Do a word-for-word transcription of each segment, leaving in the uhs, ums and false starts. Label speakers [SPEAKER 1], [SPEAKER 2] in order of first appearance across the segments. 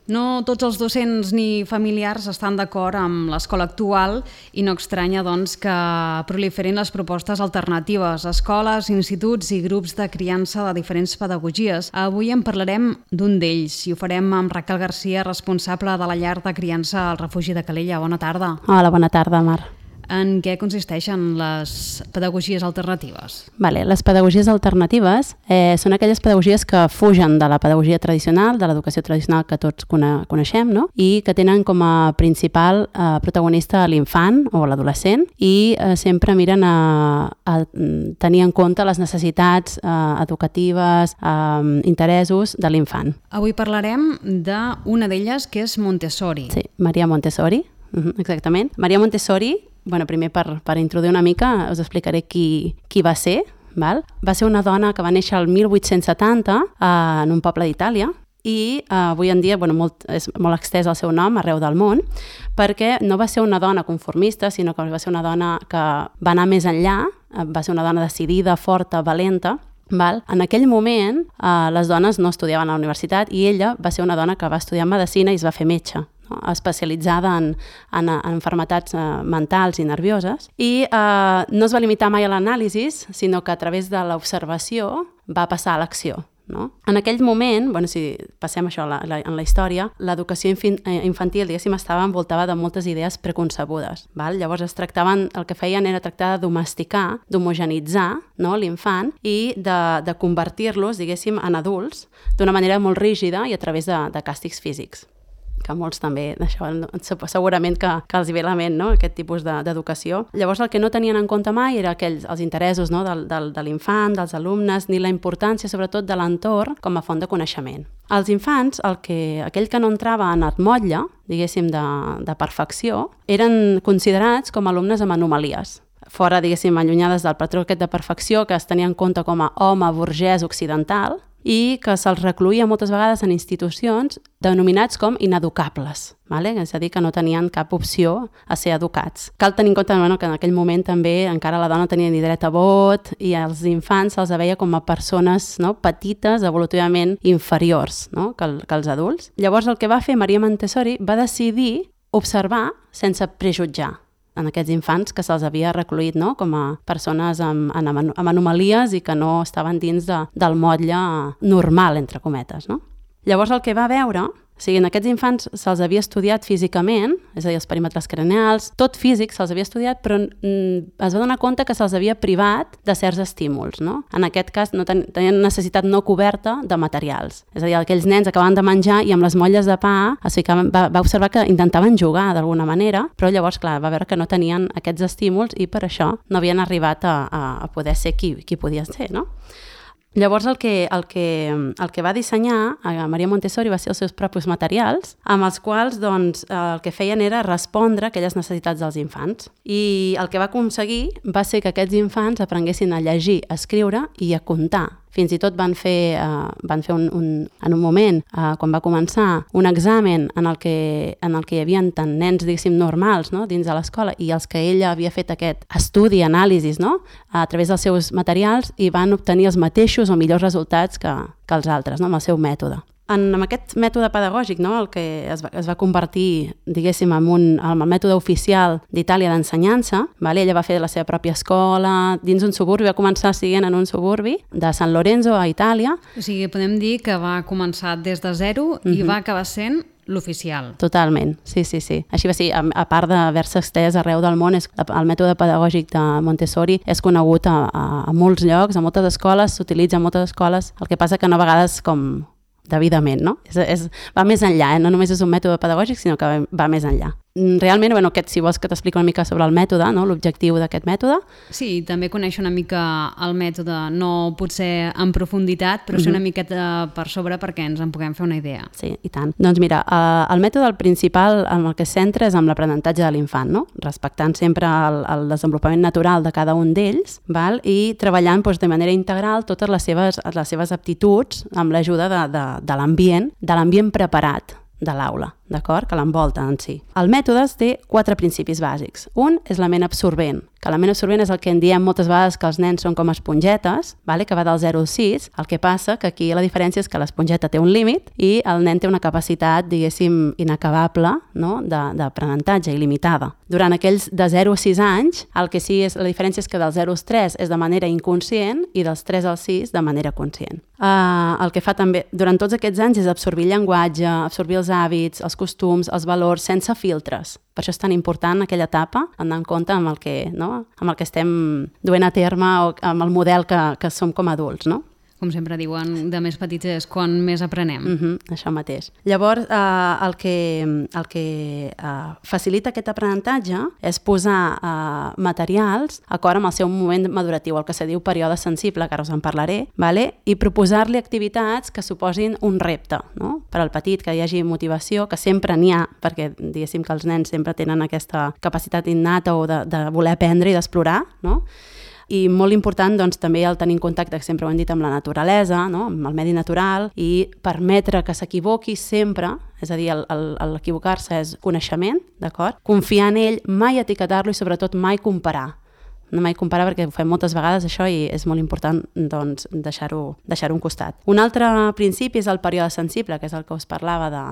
[SPEAKER 1] No tots els docents ni familiars estan d'acord amb l'escola actual i no estranya doncs, que proliferin les propostes alternatives, escoles, instituts i grups de criança de diferents pedagogies. Avui en parlarem d'un d'ells i ho farem amb Raquel Garcia, responsable de la llar de criança al refugi de Calella. Bona tarda.
[SPEAKER 2] Hola, bona tarda, Mar.
[SPEAKER 1] En què consisteixen les pedagogies alternatives?
[SPEAKER 2] Vale, les pedagogies alternatives eh, són aquelles pedagogies que fugen de la pedagogia tradicional, de l'educació tradicional que tots cone coneixem, no? I que tenen com a principal eh, protagonista l'infant o l'adolescent i eh, sempre miren a, a tenir en compte les necessitats eh, educatives, eh, interessos de l'infant.
[SPEAKER 1] Avui parlarem d'una d'elles que és Montessori.
[SPEAKER 2] Sí, Maria Montessori, uh-huh, exactament. Maria Montessori, bueno, primer per, per introduir una mica us explicaré qui, qui va ser. Val? Va ser una dona que va néixer el mil vuit-cents setanta eh, en un poble d'Itàlia i eh, avui en dia bueno, molt, és molt extès el seu nom arreu del món perquè no va ser una dona conformista, sinó que va ser una dona que va anar més enllà, va ser una dona decidida, forta, valenta. Val? En aquell moment eh, les dones no estudiaven a la universitat i ella va ser una dona que va estudiar medicina i es va fer metge, no? Especialitzada en, en, en malalties eh, mentals i nervioses i eh, no es va limitar mai a l'anàlisi, sinó que a través de l'observació va passar a l'acció. No? En aquell moment, bueno, si passem això la, la, en la història, l'educació infantil, diguéssim, estava envoltada de moltes idees preconcebudes. Val? Llavors es tractaven, el que feien era tractar de domesticar, d'homogenitzar, no, l'infant i de, de convertir-los, diguéssim, en adults d'una manera molt rígida i a través de, de càstigs físics, que molts també, d'això, segurament que, que els hi ve a la ment, no? Aquest tipus d'educació. De, Llavors el que no tenien en compte mai era aquells, els interessos, no? del, del, de l'infant, dels alumnes, ni la importància sobretot de l'entorn com a font de coneixement. Els infants, el que, aquell que no entrava en el motlle, diguéssim, de, de perfecció, eren considerats com a alumnes amb anomalies. Fora, diguéssim, allunyades del patró aquest de perfecció que es tenia en compte com a home burgès occidental, i que se'ls recluïa moltes vegades en institucions denominats com ineducables, vale? És a dir, que no tenien cap opció a ser educats. Cal tenir en compte bueno, que en aquell moment també encara la dona tenia ni dret a vot i els infants se'ls veia com a persones no, petites, evolutivament inferiors no, que, el, que els adults. Llavors el que va fer Maria Montessori va decidir observar sense prejutjar en aquests infants que se'ls havia recluït no? Com a persones amb, amb, amb anomalies i que no estaven dins de, del motlle normal, entre cometes. No? Llavors el que va veure, o sigui, en aquests infants se'ls havia estudiat físicament, és a dir, els perímetres craneals, tot físic se'ls havia estudiat, però mm, es va donar compte que se'ls havia privat de certs estímuls. No? En aquest cas no ten, tenien necessitat no coberta de materials. És a dir, aquells nens acabaven de menjar i amb les molles de pa es ficaven, va, va observar que intentaven jugar d'alguna manera, però llavors, clar, va veure que no tenien aquests estímuls i per això no havien arribat a, a, a poder ser qui, qui podien ser, no? Llavors el que, el, que, el que va dissenyar a Maria Montessori va ser els seus propis materials, amb els quals doncs, el que feien era respondre a aquelles necessitats dels infants. I el que va aconseguir va ser que aquests infants aprenguessin a llegir, a escriure i a comptar. Fins i tot van fer, uh, van fer un, un, en un moment, uh, quan va començar, un examen en el que, en el que hi havia tant nens, diguéssim, normals no? Dins de l'escola i els que ella havia fet aquest estudi, anàlisis, no? A través dels seus materials i van obtenir els mateixos o millors resultats que, que els altres, no? Amb el seu mètode. En, amb aquest mètode pedagògic, no, el que es va, es va convertir, diguéssim, en, un, en el mètode oficial d'Itàlia d'ensenyança, vale? Ella va fer la seva pròpia escola dins un suburbi, va començar siguent en un suburbi de San Lorenzo, a Itàlia.
[SPEAKER 1] O sigui, podem dir que va començar des de zero uh-huh. i va acabar sent l'oficial.
[SPEAKER 2] Totalment, sí, sí, sí. Així va ser, a, a part d'haver-se estès arreu del món, és, el mètode pedagògic de Montessori és conegut a, a, a molts llocs, a moltes escoles, s'utilitza a moltes escoles, el que passa que no a vegades com debidament, no? És, és, va més enllà, eh? No només és un mètode pedagògic, sinó que va, va més enllà. Realment, bueno, aquest, si vols que t'expliqui una mica sobre el mètode, no? L'objectiu d'aquest mètode.
[SPEAKER 1] Sí, també conèixer una mica el mètode, no potser en profunditat, però sí una miqueta per sobre perquè ens en puguem fer una idea.
[SPEAKER 2] Sí, i tant. Doncs mira, eh, el mètode principal en el que es centra és amb l'aprenentatge de l'infant, no? Respectant sempre el, el desenvolupament natural de cada un d'ells, val? I treballant doncs, de manera integral totes les seves, les seves aptituds amb l'ajuda de, de, de l'ambient, de l'ambient preparat de l'aula. d'acord? Que l'envolta en si. El mètode té quatre principis bàsics. Un és la ment absorbent, que la ment absorbent és el que en diem moltes vegades que els nens són com espongetes, vale? Que va del zero al sis. El que passa que aquí la diferència és que l'esponjeta té un límit i el nen té una capacitat, diguéssim, inacabable, no? d'aprenentatge, il·limitada. Durant aquells de zero a sis anys, el que sí és, la diferència és que dels zero als tres és de manera inconscient i dels tres als sis de manera conscient. Uh, el que fa també durant tots aquests anys és absorbir el llenguatge, absorbir els hàbits, els costums, els valors, sense filtres. Per això és tan important aquella etapa, anar en compte amb el que, no? amb el que estem duent a terme o amb el model que, que som com a adults, no?
[SPEAKER 1] Com sempre diuen, de més petits és quan més aprenem.
[SPEAKER 2] Uh-huh, això mateix. Llavors, eh, el que, el que eh, facilita aquest aprenentatge és posar eh, materials d'acord amb el seu moment maduratiu, el que se diu període sensible, que ara us en parlaré, vale? I proposar-li activitats que suposin un repte, no? Per al petit, que hi hagi motivació, que sempre n'hi ha, perquè diguéssim que els nens sempre tenen aquesta capacitat innata o de, de voler aprendre i d'explorar, no? I molt important doncs, també el tenir en contacte, que sempre ho hem dit, amb la naturalesa, no? Amb el medi natural, i permetre que s'equivoqui sempre, és a dir, l'equivocar-se és coneixement, d'acord? Confiar en ell, mai etiquetar-lo i sobretot mai comparar. No mai comparar perquè ho fem moltes vegades això i és molt important doncs, deixar-ho deixar-ho a un costat. Un altre principi és el període sensible, que és el que us parlava de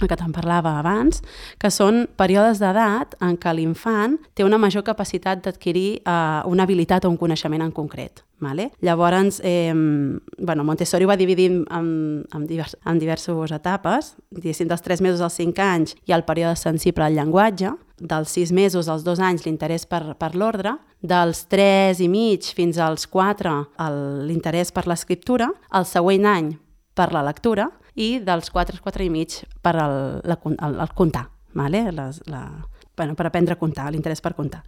[SPEAKER 2] el que te'n parlava abans, que són períodes d'edat en què l'infant té una major capacitat d'adquirir eh, una habilitat o un coneixement en concret. Vale? Llavors, eh, bueno, Montessori ho va dividir en, en, divers, en diverses etapes, diguéssim, dels tres mesos als cinc anys hi ha el període sensible al llenguatge, dels sis mesos als dos anys l'interès per, per l'ordre, dels tres i mig fins als quatre l'interès per l'escriptura, el següent any per la lectura, i dels quatre, quatre i mig per el, la, el, el comptar, vale? Les, la, bueno, per aprendre a comptar, l'interès per comptar.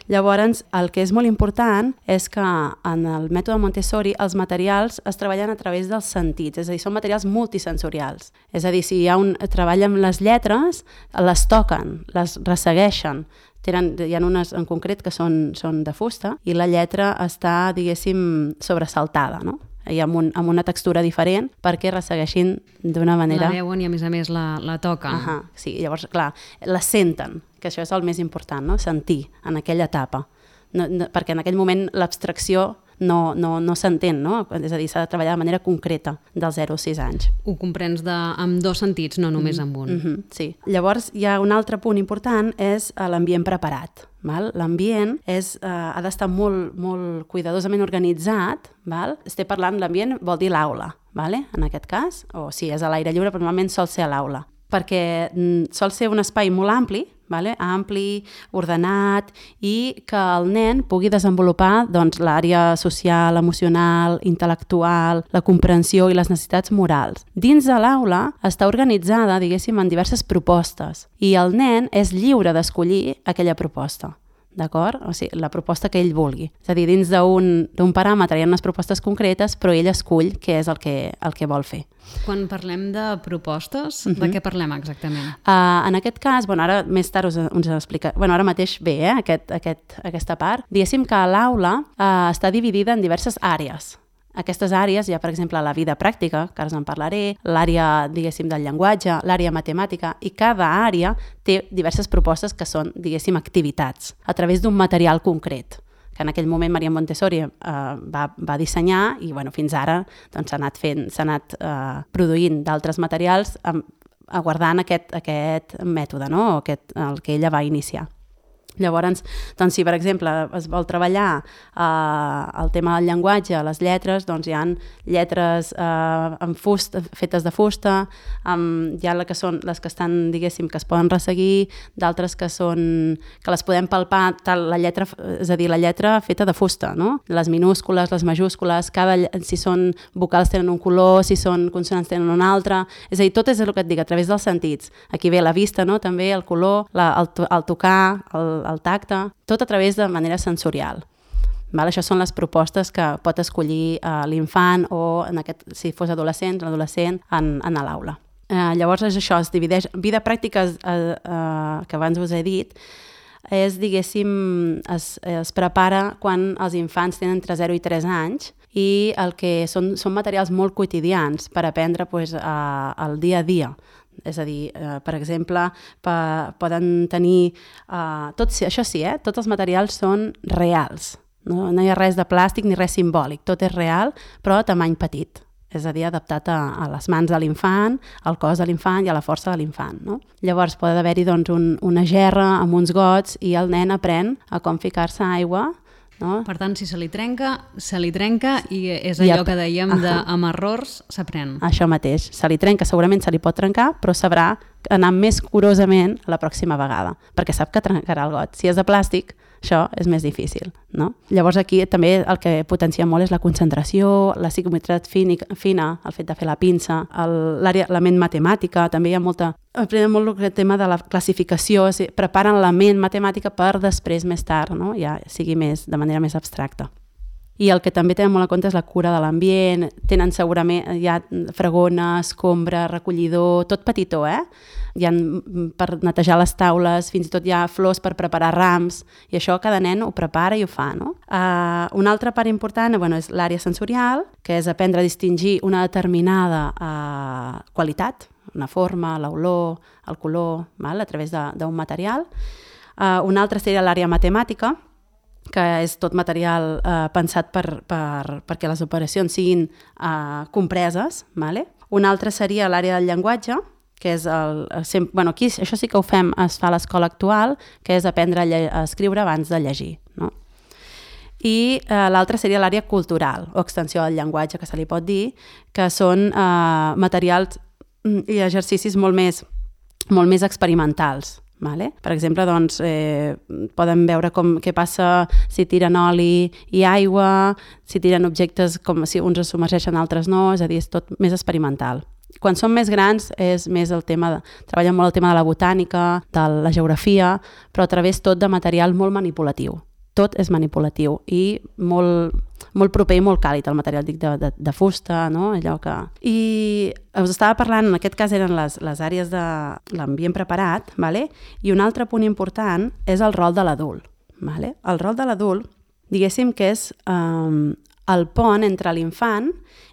[SPEAKER 2] Llavors, el que és molt important és que en el mètode Montessori els materials es treballen a través dels sentits, és a dir, són materials multisensorials. És a dir, si hi ha un treball amb les lletres, les toquen, les ressegueixen. Tenen, hi ha unes en concret que són, són de fusta i la lletra està, diguéssim, sobresaltada, no? I amb, un, amb una textura diferent perquè ressegueixin d'una manera...
[SPEAKER 1] La veuen i a més a més la, la toquen.
[SPEAKER 2] Ahà, sí, llavors, clar, la senten, que això és el més important, no? Sentir en aquella etapa. No, no, perquè en aquell moment l'abstracció no, no, no s'entén, no? És a dir, s'ha de treballar de manera concreta dels zero als sis anys.
[SPEAKER 1] Ho comprens de, amb dos sentits, no només
[SPEAKER 2] mm-hmm.
[SPEAKER 1] amb un.
[SPEAKER 2] Mm-hmm, sí. Llavors, hi ha un altre punt important, és l'ambient preparat. L'ambient és, eh, ha d'estar molt, molt cuidadosament organitzat. Val? Estic parlant, l'ambient vol dir l'aula, vale? En aquest cas, o si és a l'aire lliure, però normalment sol ser a l'aula, perquè mm, sol ser un espai molt ampli, vale? Ampli, ordenat, i que el nen pugui desenvolupar doncs, l'àrea social, emocional, intel·lectual, la comprensió i les necessitats morals. Dins de l'aula està organitzada, diguéssim, en diverses propostes, i el nen és lliure d'escollir aquella proposta. D'acord? O sigui, la proposta que ell vulgui. És a dir, dins d'un paràmetre hi ha unes propostes concretes, però ell escull què és el que, el que vol fer.
[SPEAKER 1] Quan parlem de propostes, uh-huh. de què parlem exactament?
[SPEAKER 2] Uh, en aquest cas, bueno, ara més tard us, us explica, bueno, ara mateix ve eh, aquest, aquest, aquesta part. Diguéssim que l'aula uh, està dividida en diverses àrees. Aquestes àrees hi ha, per exemple, la vida pràctica, que ara us en parlaré, l'àrea, diguéssim, del llenguatge, l'àrea matemàtica, i cada àrea té diverses propostes que són, diguéssim, activitats, a través d'un material concret, que en aquell moment Maria Montessori eh, va, va dissenyar i bueno, fins ara doncs, s'ha anat, fent, s'ha anat eh, produint d'altres materials eh, aguardant aquest, aquest mètode, no? Aquest, el que ella va iniciar. Llavors, doncs, si per exemple es vol treballar eh, el tema del llenguatge, les lletres, doncs hi ha lletres eh, amb fusta, fetes de fusta, amb, hi ha les que, són, les que estan, diguéssim, que es poden resseguir, d'altres que són que les podem palpar, tal, la lletra, és a dir, la lletra feta de fusta, no? Les minúscules, les majúscules, cada, si són vocals tenen un color, si són consonants tenen un altre, és a dir, tot és el que et dic, a través dels sentits. Aquí ve la vista, no? També el color, la, el, el tocar, el el tacte, tot a través de manera sensorial. Val? Això són les propostes que pot escollir eh, l'infant o, en aquest, si fos adolescent, l'adolescent en, en l'aula. Eh, llavors és això, es divideix. Vida pràctica, eh, eh, que abans us he dit, és, diguéssim, es, es prepara quan els infants tenen entre zero i tres anys i el que són, són materials molt quotidians per aprendre pues, eh, el dia a dia. És a dir, eh, per exemple, pa, poden tenir... Eh, tot, això sí, eh, tots els materials són reals. No? No hi ha res de plàstic ni res simbòlic. Tot és real, però a tamany petit. És a dir, adaptat a, a les mans de l'infant, al cos de l'infant i a la força de l'infant. No? Llavors, pot haver-hi doncs, un, una gerra amb uns gots i el nen aprèn a com ficar-se aigua. No?
[SPEAKER 1] Per tant, si se li trenca, se li trenca i és allò que dèiem de amb errors s'aprèn.
[SPEAKER 2] Això mateix. Se li trenca, segurament se li pot trencar, però sabrà anar més curosament la pròxima vegada, perquè sap que trencarà el got. Si és de plàstic, això és més difícil. No? Llavors aquí també el que potencia molt és la concentració, la psicometritat fina, el fet de fer la pinça, l'àrea, la ment matemàtica, també hi ha molta... Aprenen molt el tema de la classificació, o sigui, preparen la ment matemàtica per després, més tard, no? Ja sigui més, de manera més abstracta. I el que també tenen molt en compte és la cura de l'ambient, tenen segurament ja fregona, escombra, recollidor, tot petitó, eh? Hi ha per netejar les taules, fins i tot hi ha flors per preparar rams, i això cada nen ho prepara i ho fa, no? Uh, una altra part important bueno, és l'àrea sensorial, que és aprendre a distingir una determinada uh, qualitat, una forma, l'olor, el color, val? A través d'un material. Uh, una altra seria l'àrea matemàtica, que és tot material eh, pensat per, per, perquè les operacions siguin eh, compreses. Vale? Una altra seria l'àrea del llenguatge, que és el... el bueno, aquí això sí que ho fem, es fa a l'escola actual, que és aprendre a, a escriure abans de llegir. No? I eh, l'altra seria l'àrea cultural, o extensió del llenguatge, que se li pot dir, que són eh, materials i exercicis molt més, molt més experimentals. Vale? Per exemple, doncs, eh, poden veure com, què passa si tiren oli i aigua, si tiren objectes com si uns es submergeixen, altres no, és a dir, és tot més experimental. Quan són més grans és més el tema, de, treballen molt el tema de la botànica, de la geografia, però a través tot de material molt manipulatiu. Tot és manipulatiu i molt, molt proper i molt càlid, el material dic de, de, de fusta, no? Allò que... I us estava parlant, en aquest cas eren les, les àrees de l'ambient preparat, vale? I un altre punt important és el rol de l'adult. Vale? El rol de l'adult, diguéssim que és um, el pont entre l'infant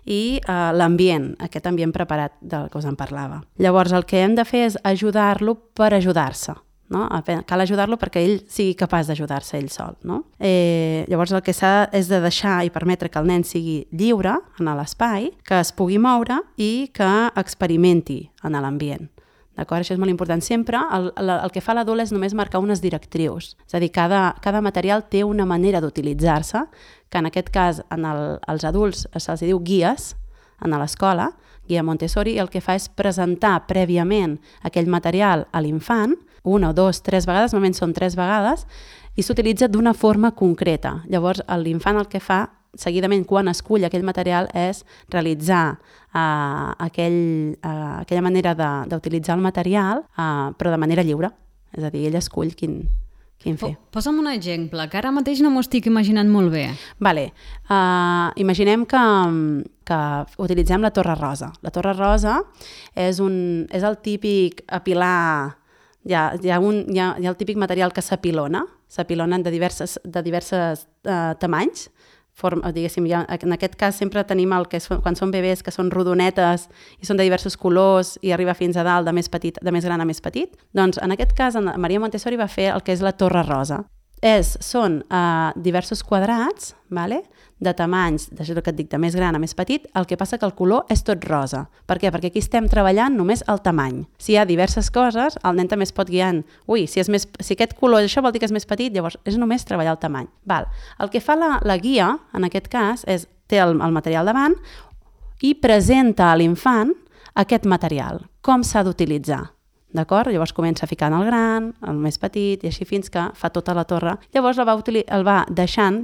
[SPEAKER 2] i uh, l'ambient, aquest ambient preparat del que us en parlava. Llavors el que hem de fer és ajudar-lo per ajudar-se. No? Cal ajudar-lo perquè ell sigui capaç d'ajudar-se ell sol. No? Eh, llavors el que s'ha és de deixar i permetre que el nen sigui lliure en l'espai, que es pugui moure i que experimenti en l'ambient. D'acord? Això és molt important. Sempre el, el, el que fa l'adult és només marcar unes directrius. És a dir, cada, cada material té una manera d'utilitzar-se, que en aquest cas en el, als adults se'ls diu guies en l'escola, guia Montessori, i el que fa és presentar prèviament aquell material a l'infant, una o dos, tres vegades, normalment són tres vegades, i s'utilitza d'una forma concreta. Llavors, l'infant el que fa, seguidament, quan escull aquell material, és realitzar uh, aquell, uh, aquella manera d'utilitzar el material, uh, però de manera lliure. És a dir, ell escull quin, quin fer.
[SPEAKER 1] Posa'm un exemple, que ara mateix no m'ho estic imaginant molt bé.
[SPEAKER 2] Vale. Uh, imaginem que, que utilitzem la torre rosa. La torre rosa és, un, és el típic apilar... Hi ha, hi, ha un, hi, ha, hi ha el típic material que s'apilona, s'apilonen de diverses, de diverses uh, tamanys. Form, diguéssim, ha, en aquest cas sempre tenim el que és, quan són bebès, que són rodonetes i són de diversos colors i arriba fins a dalt, de més, petit, de més gran a més petit. Doncs en aquest cas Maria Montessori va fer el que és la torre rosa. És, són uh, diversos quadrats, vale? De tamanys, d'això que et dic, de més gran a més petit, el que passa que el color és tot rosa. Per què? Perquè aquí estem treballant només el tamany. Si hi ha diverses coses, el nen també es pot guiar. Ui, si, és més, si aquest color, això vol dir que és més petit, llavors és només treballar el tamany. Val. El que fa la, la guia, en aquest cas, és té el, el material davant i presenta a l'infant aquest material, com s'ha d'utilitzar. D'acord? Llavors comença a ficar en el gran, el més petit, i així fins que fa tota la torre. Llavors el va, el va deixant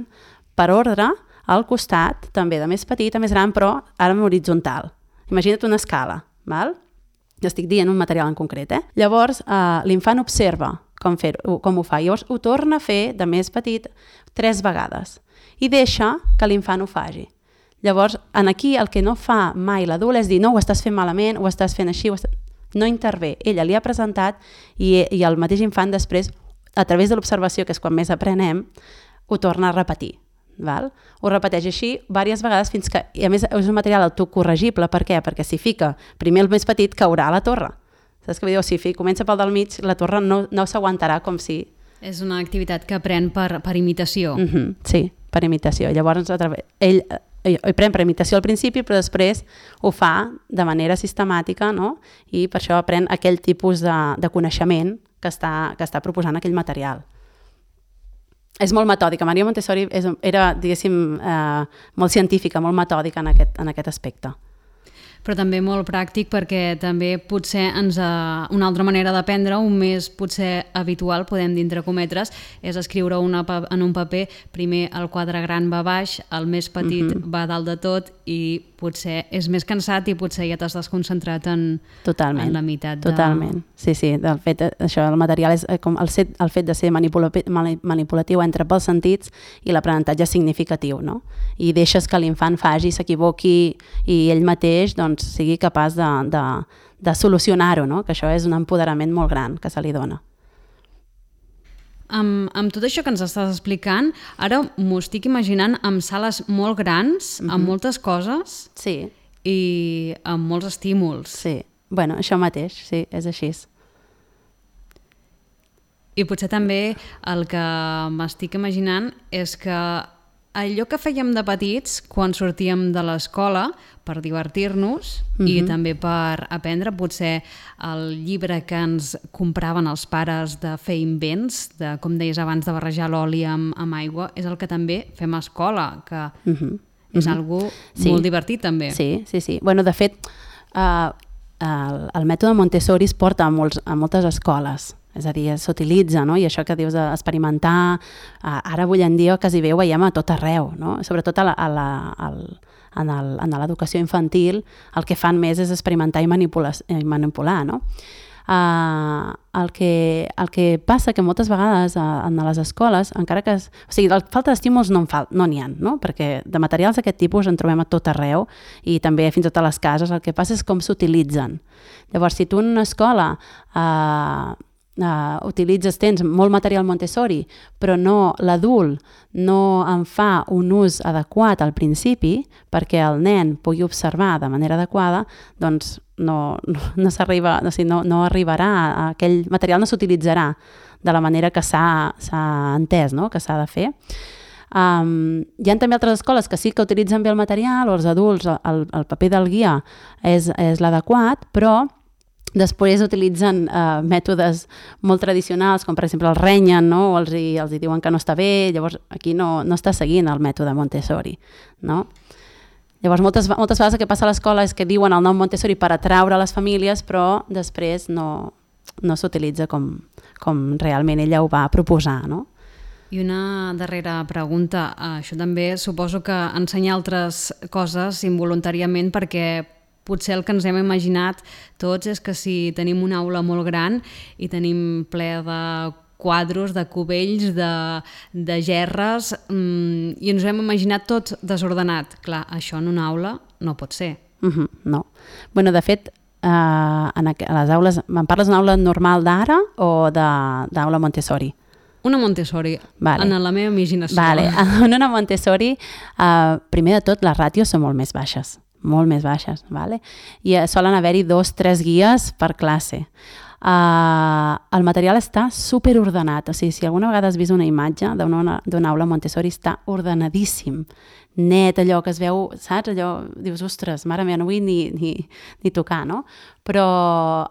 [SPEAKER 2] per ordre al costat, també de més petit a més gran, però ara en horitzontal. Imagina't una escala, val? Estic dient un material en concret, eh? Llavors, eh, l'infant observa com, fer, com ho fa. Llavors ho torna a fer de més petit tres vegades i deixa que l'infant ho faci. Llavors, en aquí el que no fa mai l'adult és dir no, ho estàs fent malament, ho estàs fent així, ho estàs... no intervé. Ella li ha presentat i, i el mateix infant després, a través de l'observació, que és quan més aprenem, ho torna a repetir. Val? Ho repeteix així diverses vegades fins que, i a més és un material autocorregible. Per què? Perquè si fica primer el més petit caurà a la torre. Saps què vull dir? O sigui, comença pel del mig, la torre no, no s'aguantarà com si...
[SPEAKER 1] És una activitat que pren per, per imitació.
[SPEAKER 2] Mm-hmm, sí, per imitació. Llavors, a través, ell, ell, ell pren per imitació al principi, però després ho fa de manera sistemàtica, no? I per això aprèn aquell tipus de, de coneixement que està, que està proposant aquell material. És molt metòdica. Maria Montessori és, era, diguéssim, eh, molt científica, molt metòdica en aquest, en aquest aspecte.
[SPEAKER 1] Però també molt pràctic perquè també potser ens ha, una altra manera d'aprendre, un més potser habitual, podem dir entre cometres, és escriure una, en un paper, primer el quadre gran va baix, el més petit uh-huh. va dalt de tot i potser és més cansat i potser ja t'has desconcentrat en,
[SPEAKER 2] totalment,
[SPEAKER 1] en la meitat. De...
[SPEAKER 2] Totalment, sí, sí. El fet, això, el material és com el, set, el fet de ser manipulatiu, manipulatiu entre pels sentits i l'aprenentatge significatiu, no? I deixes que l'infant faci, s'equivoqui i ell mateix doncs, sigui capaç de, de, de solucionar-ho, no? Que això és un empoderament molt gran que se li dona.
[SPEAKER 1] Amb, amb tot això que ens estàs explicant, ara m'ho estic imaginant amb sales molt grans, uh-huh. amb moltes coses
[SPEAKER 2] sí.
[SPEAKER 1] i amb molts estímuls.
[SPEAKER 2] Sí, bueno, això mateix, sí, és així.
[SPEAKER 1] I potser també el que m'estic imaginant és que allò que fèiem de petits quan sortíem de l'escola per divertir-nos uh-huh. i també per aprendre, potser el llibre que ens compraven els pares de fer invents, de, com deies abans, de barrejar l'oli amb, amb aigua, és el que també fem a escola, que uh-huh. és uh-huh. algo sí. molt divertit també.
[SPEAKER 2] Sí, sí, sí. Bueno, de fet, uh, el, el mètode Montessori es porta a, molts, a moltes escoles. És a dir, s'utilitza, no? I això que dius d'experimentar, ara avui en dia quasi bé ho veiem a tot arreu, no? Sobretot a la, a la, al, en, el, en l'educació infantil el que fan més és experimentar i manipular, i manipular no? Uh, el, que, el que passa que moltes vegades uh, en les escoles, encara que... Es, o sigui, la falta d'estímuls no n'hi no ha, no? Perquè de materials d'aquest tipus en trobem a tot arreu i també fins i tot a les cases. El que passa és com s'utilitzen. Llavors, si tu en una escola... Uh, Uh, utilitzes, tens molt material Montessori, però no, l'adult no en fa un ús adequat al principi perquè el nen pugui observar de manera adequada, doncs no, no, no s'arriba, o sigui, no, no arribarà a aquell material, no s'utilitzarà de la manera que s'ha entès, no? Que s'ha de fer. Um, hi ha també altres escoles que sí que utilitzen bé el material, o els adults, el, el paper del guia és, és l'adequat, però després utilitzen uh, mètodes molt tradicionals, com per exemple els renyen, no? O els, hi, els hi diuen que no està bé, llavors aquí no, no està seguint el mètode Montessori, no? Llavors moltes, moltes vegades el que passa a l'escola és que diuen el nom Montessori per atraure les famílies, però després no, no s'utilitza com, com realment ella ho va proposar, no?
[SPEAKER 1] I una darrera pregunta, això també suposo que ensenya altres coses involuntàriament perquè potser el que ens hem imaginat tots és que si tenim una aula molt gran i tenim ple de quadros, de cubells, de, de gerres, mmm, i ens ho hem imaginat tot desordenat. Clar, això en una aula no pot ser.
[SPEAKER 2] Uh-huh, no. Bueno, de fet, eh, en a les aules, em parles d'una aula normal d'ara o d'aula Montessori?
[SPEAKER 1] Una Montessori, vale. En la meva imaginació.
[SPEAKER 2] Vale. En una Montessori, eh, primer de tot, les ràtios són molt més baixes. molt més baixes, vale? I solen haver-hi dos, tres guies per classe. Uh, el material està superordenat, o sigui, si alguna vegada has vist una imatge d'una aula Montessori, està ordenadíssim, net, allò que es veu, saps? Allò, dius, ostres, mare meva, no vull ni, ni, ni tocar, no? Però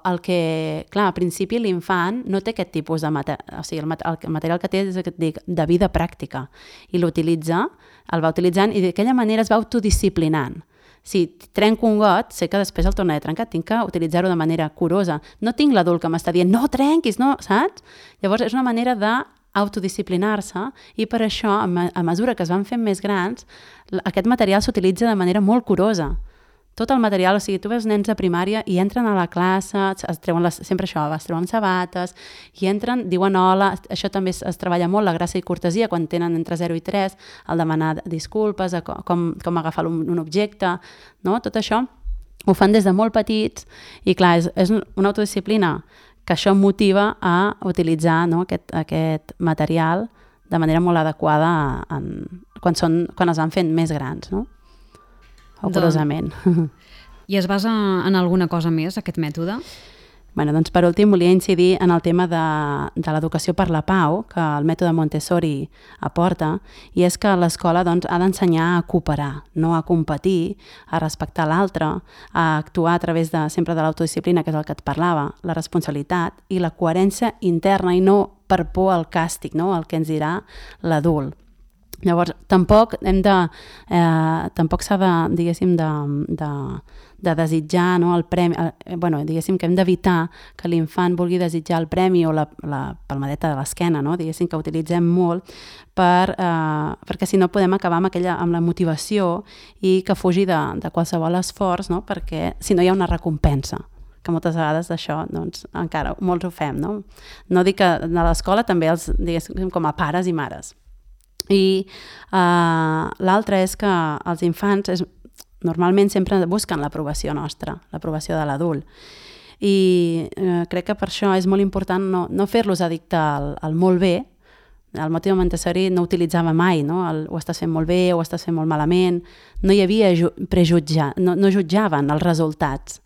[SPEAKER 2] el que, clar, al principi l'infant no té aquest tipus de material, o sigui, el, el material que té és el que et dic, de vida pràctica, i l'utilitza, el va utilitzant i d'aquella manera es va autodisciplinant. Si trenco un got, sé que després el tornaré a trencar, tinc que utilitzar-ho de manera curosa. No tinc l'adult que m'està dient, no trenquis, no, saps? Llavors és una manera d'autodisciplinar-se i per això, a mesura que es van fent més grans, aquest material s'utilitza de manera molt curosa. Tot el material, o sigui, tu veus nens de primària i entren a la classe, es treuen les, sempre això, es treuen sabates, i entren, diuen hola, això també es, es treballa molt, la gràcia i cortesia, quan tenen entre zero i tres, el demanar disculpes, com, com agafar un, un objecte, no? Tot això ho fan des de molt petits i clar, és, és una autodisciplina que això motiva a utilitzar, no? aquest, aquest material de manera molt adequada en, quan, són, quan es van fent més grans, no? O curiosament.
[SPEAKER 1] I es basa en alguna cosa més, aquest mètode?
[SPEAKER 2] Bueno, doncs per últim volia incidir en el tema de, de l'educació per la pau que el mètode Montessori aporta, i és que l'escola doncs, ha d'ensenyar a cooperar, no a competir, a respectar l'altre, a actuar a través de, sempre de l'autodisciplina, que és el que et parlava, la responsabilitat i la coherència interna i no per por al càstig, no? El que ens dirà l'adult. Llavors, tampoc hem de, eh, tampoc s'ha de, diguéssim, de, de, de desitjar, no, el premi, eh, bueno, diguéssim que hem d'evitar que l'infant vulgui desitjar el premi o la, la palmadeta de l'esquena, no, diguéssim que utilitzem molt per, eh, perquè si no podem acabar amb, aquella, amb la motivació i que fugi de, de qualsevol esforç, no, perquè si no hi ha una recompensa, que moltes vegades d'això doncs, encara molts ho fem. No, no dic que a l'escola també els, diguéssim, com a pares i mares. I uh, l'altre és que els infants és, normalment sempre busquen l'aprovació nostra, l'aprovació de l'adult. I uh, crec que per això és molt important no, no fer-los addicte al, al molt bé. El mètode Montessori no utilitzava mai, no? El, ho estàs fent molt bé, ho estàs fent molt malament. No hi havia prejutjar, no, no jutjaven els resultats,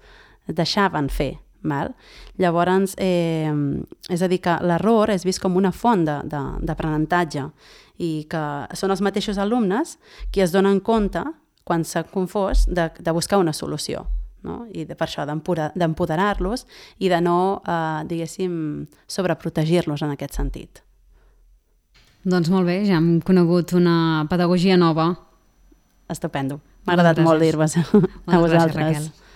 [SPEAKER 2] deixaven fer. Val? Llavors, eh, és a dir, que l'error és vist com una font d'aprenentatge i que són els mateixos alumnes qui es donen compte, quan s'ha confós, de, de buscar una solució. No? I de, per això d'empoderar-los i de no, eh, diguéssim, sobreprotegir-los en aquest sentit.
[SPEAKER 1] Doncs molt bé, ja hem conegut una pedagogia nova.
[SPEAKER 2] Estupendo. M'ha agradat molt dir-vos a vosaltres. Gràcies, Raquel.